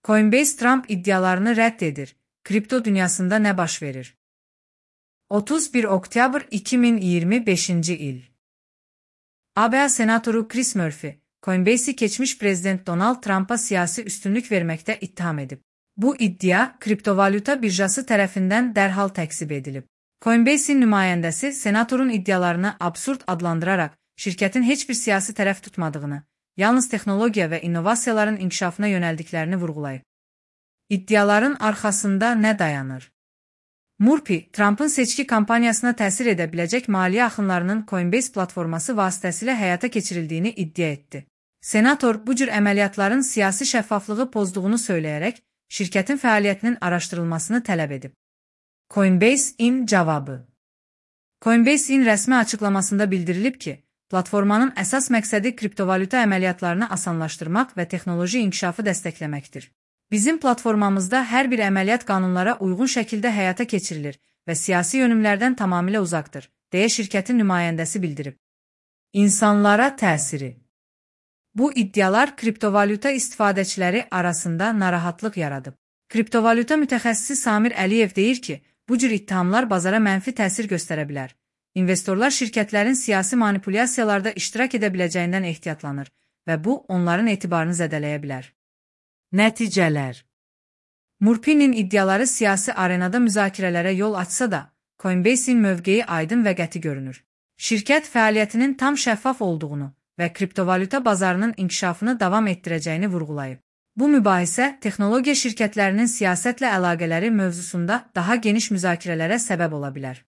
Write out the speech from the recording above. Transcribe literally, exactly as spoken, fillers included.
Coinbase Trump iddialarını reddedir. Kripto dünyasında ne baş verir? otuz bir Oktyabr iki bin iyirmi beşinci il. A B A Senatoru Chris Murphy, Coinbase'i geçmiş Prezident Donald Trump'a siyasi üstünlük vermekte itham edip, bu iddia kriptovalyuta birjası tarafından derhal tekzip edilip, Coinbase'in nümayəndəsi senatorun iddialarını absurd adlandırarak şirketin hiçbir siyasi tərəf tutmadığını, yalnız texnologiya və innovasiyaların inkişafına yöneldiklerini vurgulayıb. İddiaların arkasında ne dayanır? Murphy, Trump'ın seçki kampanyasına təsir edə biləcək maliyyə axınlarının Coinbase platforması vasitəsilə həyata keçirildiğini iddia etdi. Senator bu cür əməliyyatların siyasi şəffaflığı pozduğunu söyləyərək şirketin fəaliyyətinin araşdırılmasını tələb edib. Coinbase-in cavabı. Coinbase-in rəsmi açıklamasında bildirilib ki, platformanın əsas məqsədi kriptovalyuta əməliyyatlarını asanlaşdırmaq və texnoloji inkişafı dəstəkləməkdir. Bizim platformamızda hər bir əməliyyat qanunlara uyğun şəkildə həyata keçirilir və siyasi yönümlərdən tamamilə uzaqdır, deyə şirketin nümayəndəsi bildirib. İnsanlara təsiri. Bu iddialar kriptovalyuta istifadəçiləri arasında narahatlıq yaradıb. Kriptovalyuta mütəxəssisi Samir Əliyev deyir ki, bu cür ittihamlar bazara mənfi təsir göstərə bilər. İnvestorlar şirkətlərin siyasi manipulyasiyalarda iştirak edə biləcəyindən ehtiyatlanır və bu onların etibarını zədələyə bilər. Nəticələr. Murphy'nin iddiaları siyasi arenada müzakirələrə yol açsa da, Coinbase'in mövqeyi aydın və qəti görünür. Şirkət fəaliyyətinin tam şəffaf olduğunu və kriptovalyuta bazarının inkişafını davam etdirəcəyini vurgulayıb. Bu mübahisə texnologiya şirkətlərinin siyasətlə əlaqələri mövzusunda daha geniş müzakirələrə səbəb ola bilər.